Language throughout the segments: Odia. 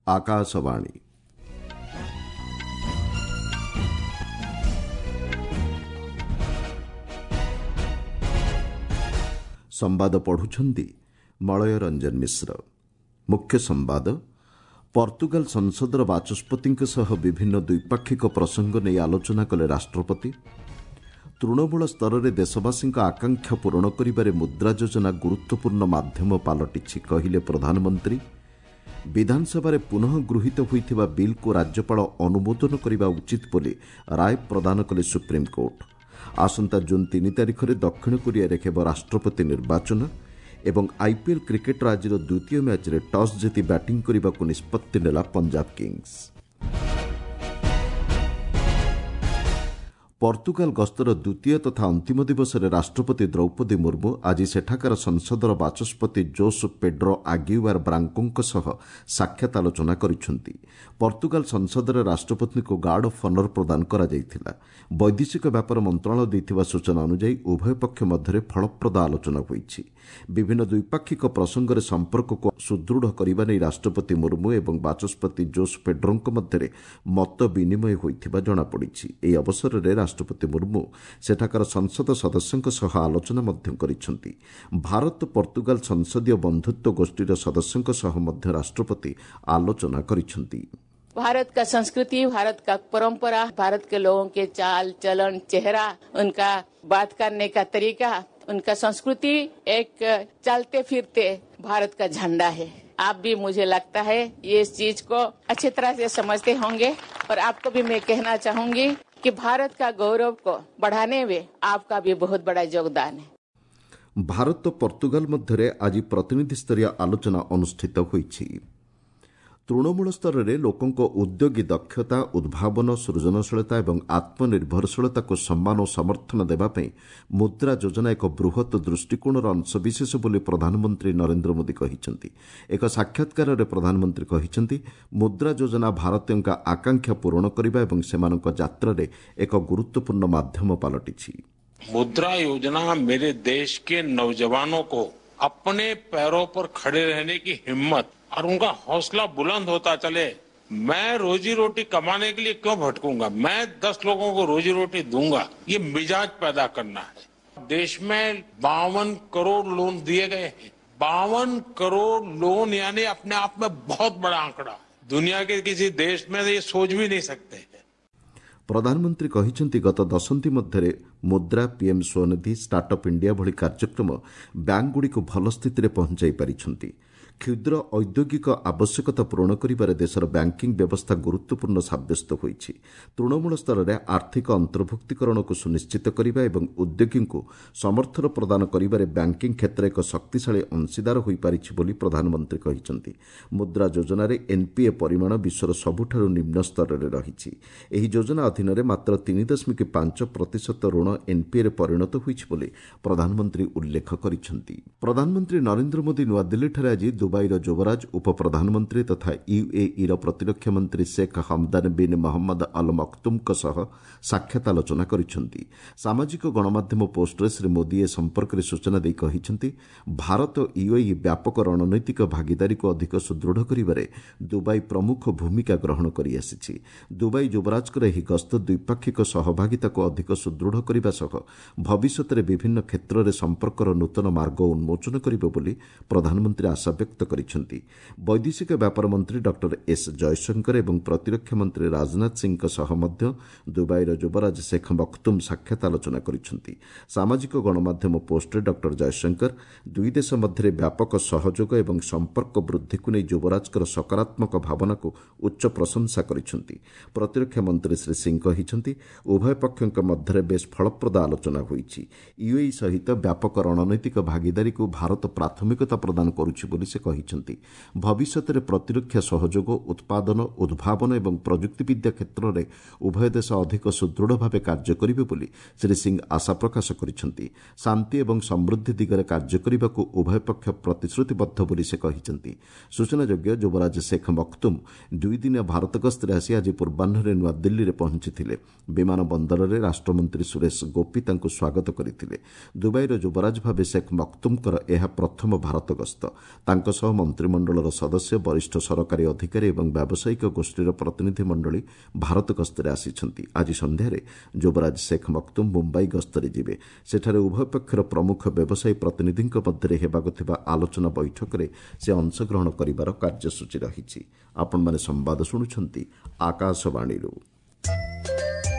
ଆକାଶବାଣୀ। ସମ୍ବାଦ ପଢୁଛନ୍ତି ମଳୟ ରଞ୍ଜନ ମିଶ୍ର। ମୁଖ୍ୟ ସମ୍ବାଦ। ପର୍ତ୍ତୁଗାଲ ସଂସଦର ବାଚସ୍ପତିଙ୍କ ସହ ବିଭିନ୍ନ ଦ୍ୱିପାକ୍ଷିକ ପ୍ରସଙ୍ଗ ନେଇ ଆଲୋଚନା କଲେ ରାଷ୍ଟ୍ରପତି। ତୃଣମୂଳ ସ୍ତରରେ ଦେଶବାସୀଙ୍କ ଆକାଂକ୍ଷା ପୂରଣ କରିବାରେ ମୁଦ୍ରା ଯୋଜନା ଗୁରୁତ୍ୱପୂର୍ଣ୍ଣ ମାଧ୍ୟମ ପାଲଟିଛି, କହିଲେ ପ୍ରଧାନମନ୍ତ୍ରୀ। ବିଧାନସଭାରେ ପୁନଃ ଗୃହୀତ ହୋଇଥିବା ବିଲ୍କୁ ରାଜ୍ୟପାଳ ଅନୁମୋଦନ କରିବା ଉଚିତ ବୋଲି ରାୟ ପ୍ରଦାନ କଲେ ସୁପ୍ରିମକୋର୍ଟ। ଆସନ୍ତା ଜୁନ୍ 3 ତାରିଖରେ ଦକ୍ଷିଣ କୋରିଆରେ ହେବ ରାଷ୍ଟ୍ରପତି ନିର୍ବାଚନ ଏବଂ ଆଇପିଏଲ୍ କ୍ରିକେଟ୍ର ଆଜିର ଦ୍ୱିତୀୟ ମ୍ୟାଚ୍ରେ ଟସ୍ ଜିତି ବ୍ୟାଟିଂ କରିବାକୁ ନିଷ୍ପତ୍ତି ନେଲା ପଞ୍ଜାବ କିଙ୍ଗସ୍। ପର୍ତ୍ତୁଗାଲ ଗସ୍ତର ଦ୍ୱିତୀୟ ତଥା ଅନ୍ତିମ ଦିବସରେ ରାଷ୍ଟ୍ରପତି ଦ୍ରୌପଦୀ ମୁର୍ମୁ ଆଜି ସେଠାକାର ସଂସଦର ବାଚସ୍ପତି ଜୋସ୍ ପେଡ୍ରୋ ଆଗିୱାର ବ୍ରାଙ୍କୋଙ୍କ ସହ ସାକ୍ଷାତ ଆଲୋଚନା କରିଛନ୍ତି। ପର୍ତ୍ତୁଗାଲ ସଂସଦରେ ରାଷ୍ଟ୍ରପତିଙ୍କୁ ଗାର୍ଡ ଅଫ୍ ଅନର ପ୍ରଦାନ କରାଯାଇଥିଲା। ବୈଦେଶିକ ବ୍ୟାପାର ମନ୍ତ୍ରଣାଳୟ ଦେଇଥିବା ସୂଚନା ଅନୁଯାୟୀ ଉଭୟ ପକ୍ଷ ମଧ୍ୟରେ ଫଳପ୍ରଦ ଆଲୋଚନା ହୋଇଛି। ବିଭିନ୍ନ ଦ୍ୱିପାକ୍ଷିକ ପ୍ରସଙ୍ଗରେ ସମ୍ପର୍କକୁ ସୁଦୃଢ଼ କରିବା ନେଇ ରାଷ୍ଟ୍ରପତି ମୁର୍ମୁ ଏବଂ ବାଚସ୍ପତି ଜୋସ୍ ପେଡ୍ରୋଙ୍କ ମଧ୍ୟରେ ମତ ବିନିମୟ ହୋଇଥିବା ଜଣାପଡ଼ିଛି। ଏହି ଅବସରରେ ରାଷ୍ଟ୍ରପତି ମୁର୍ମୁ ସେଠାକାର ସଂସଦ ସଦସ୍ୟଙ୍କ ସହ ଆଲୋଚନା ମଧ୍ୟ କରିଛନ୍ତି। ଭାରତ ପର୍ତ୍ତୁଗାଲ ସଂସଦୀୟ ବନ୍ଧୁତ୍ୱ ଗୋଷ୍ଠୀର ସଦସ୍ୟଙ୍କ ସହ ମଧ୍ୟ ରାଷ୍ଟ୍ରପତି ଆଲୋଚନା କରିଛନ୍ତି। भारत का संस्कृति, भारत का परंपरा, भारत के लोगों के चाल चलन, चेहरा, उनका बात करने का तरीका, उनका संस्कृति एक चलते फिरते भारत का झंडा है। आप भी मुझे लगता है ये इस चीज को अच्छी तरह से समझते होंगे और आपको भी मैं कहना चाहूंगी कि भारत का गौरव को बढ़ाने में आपका भी बहुत बड़ा योगदान है। ଭାରତ ପର୍ତ୍ତୁଗାଲ ମଧ୍ୟରେ ଆଜି ପ୍ରତିନିଧିସ୍ତରୀୟ ଆଲୋଚନା ଅନୁଷ୍ଠିତ ହୋଇଛି। ତୃଣମୂଳ ସ୍ତରରେ ଲୋକଙ୍କ ଉଦ୍ୟୋଗୀ ଦକ୍ଷତା, ଉଦ୍ଭାବନ, ସୃଜନଶୀଳତା ଏବଂ ଆତ୍ମନିର୍ଭରଶୀଳତାକୁ ସମ୍ମାନ ଓ ସମର୍ଥନ ଦେବା ପାଇଁ ମୁଦ୍ରା ଯୋଜନା ଏକ ବୃହତ୍ ଦୃଷ୍ଟିକୋଣର ଅଂଶବିଶେଷ ବୋଲି ପ୍ରଧାନମନ୍ତ୍ରୀ ନରେନ୍ଦ୍ର ମୋଦି କହିଛନ୍ତି। ଏକ ସାକ୍ଷାତକାରରେ ପ୍ରଧାନମନ୍ତ୍ରୀ କହିଛନ୍ତି, ମୁଦ୍ରା ଯୋଜନା ଭାରତୀୟଙ୍କ ଆକାଂକ୍ଷା ପୂରଣ କରିବା ଏବଂ ସେମାନଙ୍କ ଯାତ୍ରାରେ ଏକ ଗୁରୁତ୍ୱପୂର୍ଣ୍ଣ ମାଧ୍ୟମ ପାଲଟିଛି। मुद्रा योजना मेरे देश के नौजवानों को अपने पैरों पर खड़े रहने की हिम्मत और उनका हौसला बुलंद होता चले। मैं रोजी रोटी कमाने के लिए क्यों भटकूंगा, मैं 10 लोगों को रोजी रोटी दूंगा, ये मिजाज पैदा करना है। देश में 52 करोड़ लोन दिए गए हैं। 52 करोड़ लोन यानी अपने आप में बहुत बड़ा आंकड़ा। दुनिया के किसी देश में ये सोच भी नहीं सकते। ପ୍ରଧାନମନ୍ତ୍ରୀ କହିଛନ୍ତି, ଗତ ଦଶନ୍ଧି ମଧ୍ୟରେ ମୁଦ୍ରା, ପିଏମ୍ ସ୍ୱନିଧି, ଷ୍ଟାର୍ଟଅପ୍ ଇଣ୍ଡିଆ ଭଳି କାର୍ଯ୍ୟକ୍ରମ ବ୍ୟାଙ୍କଗୁଡ଼ିକୁ ଭଲ ସ୍ଥିତିରେ ପହଞ୍ଚାଇ ପାରିଛନ୍ତି। କ୍ଷୁଦ୍ର ଔଦ୍ୟୋଗିକ ଆବଶ୍ୟକତା ପୂରଣ କରିବାରେ ଦେଶର ବ୍ୟାଙ୍କିଂ ବ୍ୟବସ୍ଥା ଗୁରୁତ୍ୱପୂର୍ଣ୍ଣ ସାବ୍ୟସ୍ତ ହୋଇଛି। ତୃଣମୂଳ ସ୍ତରରେ ଆର୍ଥିକ ଅନ୍ତର୍ଭୁକ୍ତୀକରଣକୁ ସୁନିଶ୍ଚିତ କରିବା ଏବଂ ଉଦ୍ୟୋଗୀଙ୍କୁ ସମର୍ଥନ ପ୍ରଦାନ କରିବାରେ ବ୍ୟାଙ୍କିଂ କ୍ଷେତ୍ର ଏକ ଶକ୍ତିଶାଳୀ ଅଂଶୀଦାର ହୋଇପାରିଛି ବୋଲି ପ୍ରଧାନମନ୍ତ୍ରୀ କହିଛନ୍ତି। ମୁଦ୍ରା ଯୋଜନାରେ ଏନ୍ପିଏ ପରିମାଣ ବିଶ୍ୱର ସବୁଠାରୁ ନିମ୍ନ ସ୍ତରରେ ରହିଛି। ଏହି ଯୋଜନା ଅଧୀନରେ ମାତ୍ର 3.5% ଋଣ ଏନ୍ପିଏରେ ପରିଣତ ହୋଇଛି ବୋଲି ପ୍ରଧାନମନ୍ତ୍ରୀ ଉଲ୍ଲେଖ କରିଛନ୍ତି। ପ୍ରଧାନମନ୍ତ୍ରୀ ନରେନ୍ଦ୍ର ମୋଦି ନୂଆଦିଲ୍ଲୀଠାରେ ଆଜି ଦୁବାଇର ଯୁବରାଜ, ଉପପ୍ରଧାନମନ୍ତ୍ରୀ ତଥା ୟୁଏଇର ପ୍ରତିରକ୍ଷା ମନ୍ତ୍ରୀ Sheikh Hamdan bin Mohammed Al ମକ୍ତୁମ୍ଙ୍କ ସହ ସାକ୍ଷାତ ଆଲୋଚନା କରିଛନ୍ତି। ସାମାଜିକ ଗଣମାଧ୍ୟମ ପୋଷ୍ଟରେ ଶ୍ରୀ ମୋଦି ଏ ସମ୍ପର୍କରେ ସୂଚନା ଦେଇ କହିଛନ୍ତି, ଭାରତ ୟୁଏଇ ବ୍ୟାପକ ରଣନୈତିକ ଭାଗିଦାରୀକୁ ଅଧିକ ସୁଦୃଢ଼ କରିବାରେ ଦୁବାଇ ପ୍ରମୁଖ ଭୂମିକା ଗ୍ରହଣ କରିଆସିଛି। ଦୁବାଇ ଯୁବରାଜଙ୍କର ଏହି ଗସ୍ତ ଦ୍ୱିପାକ୍ଷିକ ସହଭାଗିତାକୁ ଅଧିକ ସୁଦୃଢ଼ କରିବା ସହ ଭବିଷ୍ୟତରେ ବିଭିନ୍ନ କ୍ଷେତ୍ରରେ ସମ୍ପର୍କର ନୂତନ ମାର୍ଗ ଉନ୍ମୋଚନ କରିବ ବୋଲି ପ୍ରଧାନମନ୍ତ୍ରୀ ଆଶା ବ୍ୟକ୍ତ କରିଛନ୍ତି। ବୈଦେଶିକ ବ୍ୟାପାର ମନ୍ତ୍ରୀ ଡକ୍ଟର ଏସ୍ ଜୟଶଙ୍କର ଏବଂ ପ୍ରତିରକ୍ଷା ମନ୍ତ୍ରୀ ରାଜନାଥ ସିଂହଙ୍କ ସହ ମଧ୍ୟ ଦୁବାଇର ଯୁବରାଜ ଶେଖ୍ ମକ୍ତୁମ୍ ସାକ୍ଷାତ ଆଲୋଚନା କରିଛନ୍ତି। ସାମାଜିକ ଗଣମାଧ୍ୟମ ପୋଷ୍ଟରେ ଡକ୍ଟର ଜୟଶଙ୍କର ଦୁଇ ଦେଶ ମଧ୍ୟରେ ବ୍ୟାପକ ସହଯୋଗ ଏବଂ ସମ୍ପର୍କ ବୃଦ୍ଧିକୁ ନେଇ ଯୁବରାଜଙ୍କର ସକାରାତ୍ମକ ଭାବନାକୁ ଉଚ୍ଚ ପ୍ରଶଂସା କରିଛନ୍ତି। ପ୍ରତିରକ୍ଷା ମନ୍ତ୍ରୀ ଶ୍ରୀ ସିଂହ କହିଛନ୍ତି, ଉଭୟ ପକ୍ଷଙ୍କ ମଧ୍ୟରେ ବେଶ୍ ଫଳପ୍ରଦ ଆଲୋଚନା ହୋଇଛି। ୟୁଏଇ ସହିତ ବ୍ୟାପକ ରଣନୈତିକ ଭାଗିଦାରୀକୁ ଭାରତ ପ୍ରାଥମିକତା ପ୍ରଦାନ କରୁଛି ବୋଲି ସେ କହିଛନ୍ତି। ଭବିଷ୍ୟତରେ ପ୍ରତିରକ୍ଷା ସହଯୋଗ, ଉତ୍ପାଦନ, ଉଦ୍ଭାବନ ଏବଂ ପ୍ରଯୁକ୍ତିବିଦ୍ୟା କ୍ଷେତ୍ରରେ ଉଭୟ ଦେଶ ଅଧିକ ସୁଦୃଢ଼ ଭାବେ କାର୍ଯ୍ୟ କରିବେ ବୋଲି ଶ୍ରୀ ସିଂହ ଆଶା ପ୍ରକାଶ କରିଛନ୍ତି। ଶାନ୍ତି ଏବଂ ସମୃଦ୍ଧି ଦିଗରେ କାର୍ଯ୍ୟ କରିବାକୁ ଉଭୟ ପକ୍ଷ ପ୍ରତିଶ୍ରୁତିବଦ୍ଧ ବୋଲି ସେ କହିଛନ୍ତି। ସୂଚନାଯୋଗ୍ୟ, ଯୁବରାଜ ଶେଖ୍ ମକ୍ତୁମ୍ ଦୁଇଦିନିଆ ଭାରତ ଗସ୍ତରେ ଆସି ଆଜି ପୂର୍ବାହ୍ନରେ ନୂଆଦିଲ୍ଲୀରେ ପହଞ୍ଚିଥିଲେ। ବିମାନ ବନ୍ଦରରେ ରାଷ୍ଟ୍ରମନ୍ତ୍ରୀ ସୁରେଶ ଗୋପୀ ତାଙ୍କୁ ସ୍ୱାଗତ କରିଥିଲେ। ଦୁବାଇର ଯୁବରାଜ ଭାବେ ଶେଖ୍ ମକ୍ତୁମ୍ଙ୍କର ଏହା ପ୍ରଥମ ଭାରତ ଗସ୍ତ। ତାଙ୍କ ସହ ମନ୍ତ୍ରିମଣ୍ଡଳର ସଦସ୍ୟ, ବରିଷ୍ଠ ସରକାରୀ ଅଧିକାରୀ ଏବଂ ବ୍ୟାବସାୟିକ ଗୋଷ୍ଠୀର ପ୍ରତିନିଧିମଣ୍ଡଳୀ ଭାରତ ଗସ୍ତରେ ଆସିଛନ୍ତି। ଆଜି ସନ୍ଧ୍ୟାରେ ଯୁବରାଜ ଶେଖ୍ ମକ୍ତୁମ୍ ମୁମ୍ବାଇ ଗସ୍ତରେ ଯିବେ। ସେଠାରେ ଉଭୟ ପକ୍ଷର ପ୍ରମୁଖ ବ୍ୟବସାୟୀ ପ୍ରତିନିଧିଙ୍କ ମଧ୍ୟରେ ହେବାକୁ ଥିବା ଆଲୋଚନା ବୈଠକରେ ସେ ଅଂଶଗ୍ରହଣ କରିବାର କାର୍ଯ୍ୟସୂଚୀ ରହିଛି। ଆପଣମାନେ ସମ୍ବାଦ ଶୁଣୁଛନ୍ତି ଆକାଶବାଣୀରୁ।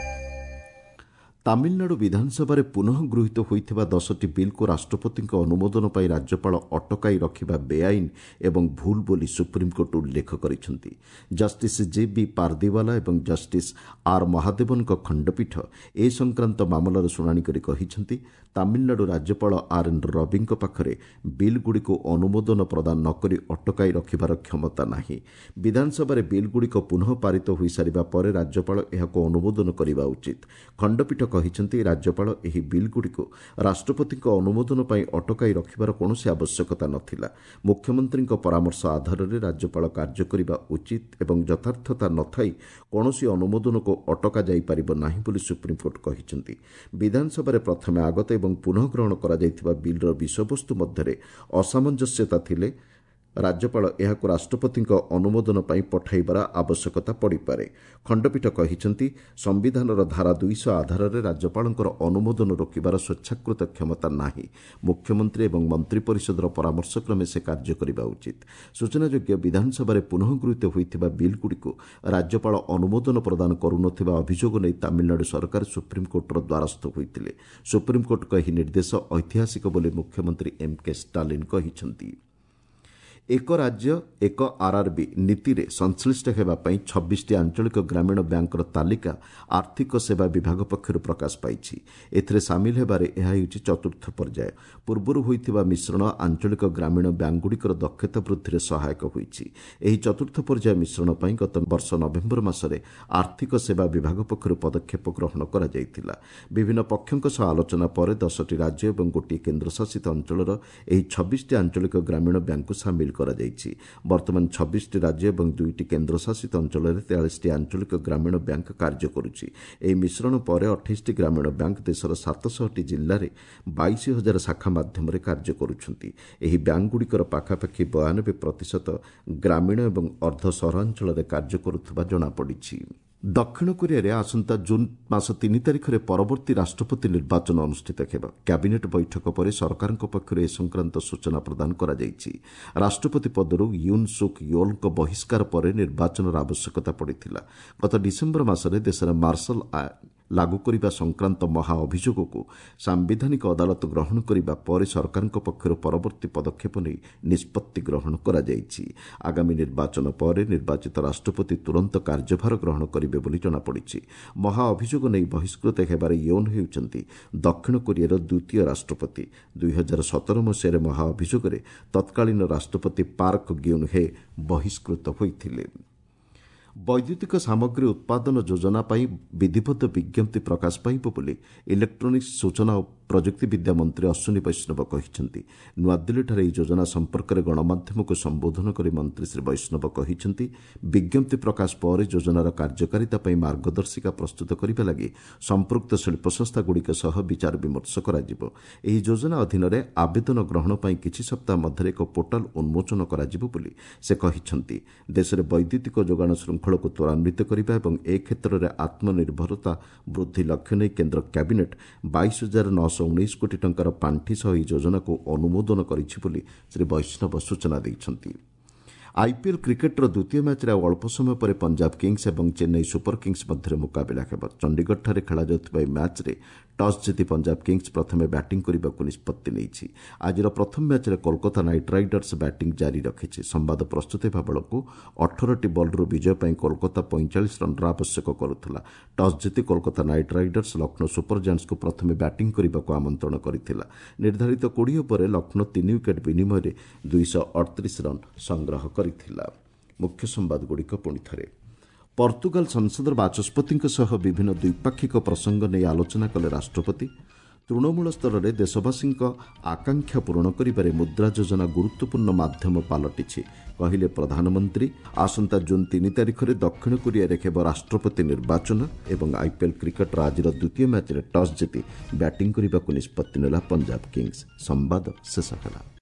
ତାମିଲନାଡୁ ବିଧାନସଭାରେ ପୁନଃ ଗୃହୀତ ହୋଇଥିବା 10ଟି ବିଲ୍କୁ ରାଷ୍ଟ୍ରପତିଙ୍କ ଅନୁମୋଦନ ପାଇଁ ରାଜ୍ୟପାଳ ଅଟକାଇ ରଖିବା ବେଆଇନ ଏବଂ ଭୁଲ ବୋଲି ସୁପ୍ରିମକୋର୍ଟ ଉଲ୍ଲେଖ କରିଛନ୍ତି। ଜଷ୍ଟିସ୍ ଜେ ବି ପାରଦିୱାଲା ଏବଂ ଜଷ୍ଟିସ୍ ଆର୍ ମହାଦେବନଙ୍କ ଖଣ୍ଡପୀଠ ଏ ସଂକ୍ରାନ୍ତ ମାମଲାର ଶୁଣାଣି କରି କହିଛନ୍ତି, ତାମିଲନାଡୁ ରାଜ୍ୟପାଳ ଆର୍ ଏନ୍ ରବିଙ୍କ ପାଖରେ ବିଲ୍ଗୁଡ଼ିକୁ ଅନୁମୋଦନ ପ୍ରଦାନ ନ କରି ଅଟକାଇ ରଖିବାର କ୍ଷମତା ନାହିଁ। ବିଧାନସଭାରେ ବିଲ୍ଗୁଡ଼ିକ ପୁନଃ ପାରିତ ହୋଇସାରିବା ପରେ ରାଜ୍ୟପାଳ ଏହାକୁ ଅନୁମୋଦନ କରିବା ଉଚିତ। ଖଣ୍ଡପୀଠ କହିଛନ୍ତି, ରାଜ୍ୟପାଳ ଏହି ବିଲ୍ଗୁଡ଼ିକୁ ରାଷ୍ଟ୍ରପତିଙ୍କ ଅନୁମୋଦନ ପାଇଁ ଅଟକାଇ ରଖିବାର କୌଣସି ଆବଶ୍ୟକତା ନଥିଲା। ମୁଖ୍ୟମନ୍ତ୍ରୀଙ୍କ ପରାମର୍ଶ ଆଧାରରେ ରାଜ୍ୟପାଳ କାର୍ଯ୍ୟ କରିବା ଉଚିତ ଏବଂ ଯଥାର୍ଥତା ନଥାଇ କୌଣସି ଅନୁମୋଦନକୁ ଅଟକା ଯାଇପାରିବ ନାହିଁ ବୋଲି ସୁପ୍ରିମକୋର୍ଟ କହିଛନ୍ତି। ବିଧାନସଭାରେ ପ୍ରଥମେ ଆଗତ ଏବଂ ପୁନଃ ଗ୍ରହଣ କରାଯାଇଥିବା ବିଲ୍ର ବିଷୟବସ୍ତୁ ମଧ୍ୟରେ ଅସାମଞ୍ଜସ୍ୟତା ଥିଲେ ରାଜ୍ୟପାଳ ଏହାକୁ ରାଷ୍ଟ୍ରପତିଙ୍କ ଅନୁମୋଦନ ପାଇଁ ପଠାଇବାର ଆବଶ୍ୟକତା ପଡ଼ିପାରେ। ଖଣ୍ଡପୀଠ କହିଛନ୍ତି, ସମ୍ବିଧାନର ଧାରା 200 ଆଧାରରେ ରାଜ୍ୟପାଳଙ୍କର ଅନୁମୋଦନ ରୋକିବାର ସ୍ୱେଚ୍ଛାକୃତ କ୍ଷମତା ନାହିଁ। ମୁଖ୍ୟମନ୍ତ୍ରୀ ଏବଂ ମନ୍ତ୍ରିପରିଷଦର ପରାମର୍ଶକ୍ରମେ ସେ କାର୍ଯ୍ୟ କରିବା ଉଚିତ। ସୂଚନାଯୋଗ୍ୟ, ବିଧାନସଭାରେ ପୁନଃ ଗୃହୀତ ହୋଇଥିବା ବିଲ୍ଗୁଡ଼ିକୁ ରାଜ୍ୟପାଳ ଅନୁମୋଦନ ପ୍ରଦାନ କରୁନଥିବା ଅଭିଯୋଗ ନେଇ ତାମିଲନାଡୁ ସରକାର ସୁପ୍ରିମକୋର୍ଟର ଦ୍ୱାରସ୍ଥ ହୋଇଥିଲେ। ସୁପ୍ରିମକୋର୍ଟଙ୍କ ଏହି ନିର୍ଦ୍ଦେଶ ଐତିହାସିକ ବୋଲି ମୁଖ୍ୟମନ୍ତ୍ରୀ ଏମ୍ କେ ଷ୍ଟାଲିନ୍ କହିଛନ୍ତି। ଏକ ରାଜ୍ୟ ଏକ ଆର୍ଆର୍ବି ନୀତିରେ ସଂଶ୍ଳିଷ୍ଟ ହେବା ପାଇଁ 26ଟି ଆଞ୍ଚଳିକ ଗ୍ରାମୀଣ ବ୍ୟାଙ୍କର ତାଲିକା ଆର୍ଥିକ ସେବା ବିଭାଗ ପକ୍ଷରୁ ପ୍ରକାଶ ପାଇଛି। ଏଥିରେ ସାମିଲ ହେବାରେ ଏହା ହେଉଛି ଚତୁର୍ଥ ପର୍ଯ୍ୟାୟ। ପୂର୍ବରୁ ହୋଇଥିବା ମିଶ୍ରଣ ଆଞ୍ଚଳିକ ଗ୍ରାମୀଣ ବ୍ୟାଙ୍କଗୁଡ଼ିକର ଦକ୍ଷତା ବୃଦ୍ଧିରେ ସହାୟକ ହୋଇଛି। ଏହି ଚତୁର୍ଥ ପର୍ଯ୍ୟାୟ ମିଶ୍ରଣ ପାଇଁ ଗତ ବର୍ଷ ନଭେମ୍ବର ମାସରେ ଆର୍ଥିକ ସେବା ବିଭାଗ ପକ୍ଷରୁ ପଦକ୍ଷେପ ଗ୍ରହଣ କରାଯାଇଥିଲା। ବିଭିନ୍ନ ପକ୍ଷଙ୍କ ସହ ଆଲୋଚନା ପରେ 10ଟି ରାଜ୍ୟ ଏବଂ ଗୋଟିଏ କେନ୍ଦ୍ରଶାସିତ ଅଞ୍ଚଳର ଏହି 26ଟି ଆଞ୍ଚଳିକ ଗ୍ରାମୀଣ ବ୍ୟାଙ୍କକୁ ସାମିଲ କରାଯାଇଛି। ବର୍ତ୍ତମାନ 26ଟି ରାଜ୍ୟ ଏବଂ 2ଟି କେନ୍ଦ୍ରଶାସିତ ଅଞ୍ଚଳରେ 43ଟି ଆଞ୍ଚଳିକ ଗ୍ରାମୀଣ ବ୍ୟାଙ୍କ କାର୍ଯ୍ୟ କରୁଛି। ଏହି ମିଶ୍ରଣ ପରେ 28ଟି ଗ୍ରାମୀଣ ବ୍ୟାଙ୍କ ଦେଶର 700ଟି ଜିଲ୍ଲାରେ 22,000 ଶାଖା ମାଧ୍ୟମରେ କାର୍ଯ୍ୟ କରୁଛନ୍ତି। ଏହି ବ୍ୟାଙ୍କଗୁଡ଼ିକର ପାଖାପାଖି 92% ଗ୍ରାମୀଣ ଏବଂ ଅର୍ଦ୍ଧ ସହରାଞ୍ଚଳରେ କାର୍ଯ୍ୟ କରୁଥିବା ଜଣାପଡ଼ିଛି। ଦକ୍ଷିଣ କୋରିଆରେ ଆସନ୍ତା ଜୁନ୍ ମାସ 3 ତାରିଖରେ ପରବର୍ତ୍ତୀ ରାଷ୍ଟ୍ରପତି ନିର୍ବାଚନ ଅନୁଷ୍ଠିତ ହେବ। କ୍ୟାବିନେଟ୍ ବୈଠକ ପରେ ସରକାରଙ୍କ ପକ୍ଷରୁ ଏ ସଂକ୍ରାନ୍ତ ସୂଚନା ପ୍ରଦାନ କରାଯାଇଛି। ରାଷ୍ଟ୍ରପତି ପଦରୁ ୟୁନ୍ ସୁକ୍ ୟୋଲ୍ଙ୍କ ବହିଷ୍କାର ପରେ ନିର୍ବାଚନର ଆବଶ୍ୟକତା ପଡ଼ିଥିଲା। ଗତ ଡିସେମ୍ବର ମାସରେ ଦେଶରେ ମାର୍ଶାଲ ଲାଗୁ କରିବା ସଂକ୍ରାନ୍ତ ମହା ଅଭିଯୋଗକୁ ସାମ୍ବିଧାନିକ ଅଦାଲତ ଗ୍ରହଣ କରିବା ପରେ ସରକାରଙ୍କ ପକ୍ଷରୁ ପରବର୍ତ୍ତୀ ପଦକ୍ଷେପ ନେଇ ନିଷ୍ପତ୍ତି ଗ୍ରହଣ କରାଯାଇଛି। ଆଗାମୀ ନିର୍ବାଚନ ପରେ ନିର୍ବାଚିତ ରାଷ୍ଟ୍ରପତି ତୁରନ୍ତ କାର୍ଯ୍ୟଭାର ଗ୍ରହଣ କରିବେ ବୋଲି ଜଣାପଡ଼ିଛି। ମହା ଅଭିଯୋଗ ନେଇ ବହିଷ୍କୃତ ହେବାରେ ୟୋନ୍ ହେଉଛନ୍ତି ଦକ୍ଷିଣ କୋରିଆର ଦ୍ୱିତୀୟ ରାଷ୍ଟ୍ରପତି। 2017 ମସିହାରେ ମହା ଅଭିଯୋଗରେ ତତ୍କାଳୀନ ରାଷ୍ଟ୍ରପତି ପାର୍କ ଗ୍ୟୁନ୍ ହେ ବହିଷ୍କୃତ ହୋଇଥିଲେ। ବୈଦ୍ୟୁତିକ ସାମଗ୍ରୀ ଉତ୍ପାଦନ ଯୋଜନା ପାଇଁ ବିଧିବଦ୍ଧ ବିଜ୍ଞପ୍ତି ପ୍ରକାଶ ପାଇବ ବୋଲି ଇଲେକ୍ଟ୍ରୋନିକ୍ସ, ସୂଚନା ଓ ପ୍ରଯୁକ୍ତିବିଦ୍ୟା ମନ୍ତ୍ରୀ ଅଶ୍ୱିନୀ ବୈଷ୍ଣବ କହିଛନ୍ତି। ନୂଆଦିଲ୍ଲୀଠାରେ ଏହି ଯୋଜନା ସମ୍ପର୍କରେ ଗଣମାଧ୍ୟମକୁ ସମ୍ବୋଧନ କରି ମନ୍ତ୍ରୀ ଶ୍ରୀ ବୈଷ୍ଣବ କହିଛନ୍ତି, ବିଜ୍ଞପ୍ତି ପ୍ରକାଶ ପରେ ଯୋଜନାର କାର୍ଯ୍ୟକାରିତା ପାଇଁ ମାର୍ଗଦର୍ଶିକା ପ୍ରସ୍ତୁତ କରିବା ଲାଗି ସମ୍ପୃକ୍ତ ଶିଳ୍ପସଂସ୍ଥାଗୁଡ଼ିକ ସହ ବିଚାର ବିମର୍ଶ କରାଯିବ। ଏହି ଯୋଜନା ଅଧୀନରେ ଆବେଦନ ଗ୍ରହଣ ପାଇଁ କିଛି ସପ୍ତାହ ମଧ୍ୟରେ ଏକ ପୋର୍ଟାଲ ଉନ୍ମୋଚନ କରାଯିବ ବୋଲି ସେ କହିଛନ୍ତି। ଦେଶରେ ବୈଦ୍ୟୁତିକ ଯୋଗାଣ ଶୃଙ୍ଖଳକୁ ତ୍ୱରାନ୍ୱିତ କରିବା ଏବଂ ଏ କ୍ଷେତ୍ରରେ ଆତ୍ମନିର୍ଭରତା ବୃଦ୍ଧି ଲକ୍ଷ୍ୟ ନେଇ କେନ୍ଦ୍ର କ୍ୟାବିନେଟ୍ 22,919 କୋଟି ଟଙ୍କାର ପାଣ୍ଠି ସହ ଏହି ଯୋଜନାକୁ ଅନୁମୋଦନ କରିଛି ବୋଲି ଶ୍ରୀ ବୈଷ୍ଣବ ସୂଚନା ଦେଇଛନ୍ତି। ଆଇପିଏଲ୍ କ୍ରିକେଟ୍ର ଦ୍ୱିତୀୟ ମ୍ୟାଚ୍ରେ ଆଉ ଅଳ୍ପ ସମୟ ପରେ ପଞ୍ଜାବ କିଙ୍ଗସ୍ ଏବଂ ଚେନ୍ନାଇ ସୁପର କିଙ୍ଗସ୍ ମଧ୍ୟରେ ମୁକାବିଲା ହେବ। ଚଣ୍ଡିଗଡ଼ଠାରେ ଖେଳାଯାଉଥିବା ଏହି ମ୍ୟାଚ୍ରେ ଟସ୍ ଜିତି ପଞ୍ଜାବ କିଙ୍ଗସ୍ ପ୍ରଥମେ ବ୍ୟାଟିଂ କରିବାକୁ ନିଷ୍ପତ୍ତି ନେଇଛି। ଆଜିର ପ୍ରଥମ ମ୍ୟାଚ୍ରେ କୋଲକାତା ନାଇଟ୍ ରାଇଡର୍ସ ବ୍ୟାଟିଂ ଜାରି ରଖିଛି। ସମ୍ବାଦ ପ୍ରସ୍ତୁତ ହେବା ବେଳକୁ 18ଟି ବଲ୍ରୁ ବିଜୟ ପାଇଁ କୋଲକାତା 45 ରନ୍ର ଆବଶ୍ୟକ କରୁଥିଲା। ଟସ୍ ଜିତି Kolkata Knight Riders Lucknow Super ଜାଏଣ୍ଟସ୍କୁ ପ୍ରଥମେ ବ୍ୟାଟିଂ କରିବାକୁ ଆମନ୍ତ୍ରଣ କରିଥିଲା। ନିର୍ଦ୍ଧାରିତ 20 ଓଭରରେ ଲକ୍ଷ୍ନୌ 3 ୱିକେଟ୍ ବିନିମୟରେ 238 ରନ୍ ସଂଗ୍ରହ କରିଥିଲା। ମୁଖ୍ୟ ସମ୍ବାଦଗୁଡ଼ିକ ପୁଣି ଥରେ। ପର୍ତ୍ତୁଗାଲ ସଂସଦର ବାଚସ୍ପତିଙ୍କ ସହ ବିଭିନ୍ନ ଦ୍ୱିପାକ୍ଷିକ ପ୍ରସଙ୍ଗ ନେଇ ଆଲୋଚନା କଲେ ରାଷ୍ଟ୍ରପତି। ତୃଣମୂଳ ସ୍ତରରେ ଦେଶବାସୀଙ୍କ ଆକାଂକ୍ଷା ପୂରଣ କରିବାରେ ମୁଦ୍ରା ଯୋଜନା ଗୁରୁତ୍ୱପୂର୍ଣ୍ଣ ମାଧ୍ୟମ ପାଲଟିଛି, କହିଲେ ପ୍ରଧାନମନ୍ତ୍ରୀ। ଆସନ୍ତା ଜୁନ୍ 3 ତାରିଖରେ ଦକ୍ଷିଣ କୋରିଆରେ ହେବ ରାଷ୍ଟ୍ରପତି ନିର୍ବାଚନ। ଏବଂ ଆଇପିଏଲ୍ କ୍ରିକେଟ୍ର ଆଜିର ଦ୍ୱିତୀୟ ମ୍ୟାଚ୍ରେ ଟସ୍ ଜିତି ବ୍ୟାଟିଂ କରିବାକୁ ନିଷ୍ପତ୍ତି ନେଲା ପଞ୍ଜାବ କିଙ୍ଗସ୍। ସମ୍ବାଦ ଶେଷ ହେଲା।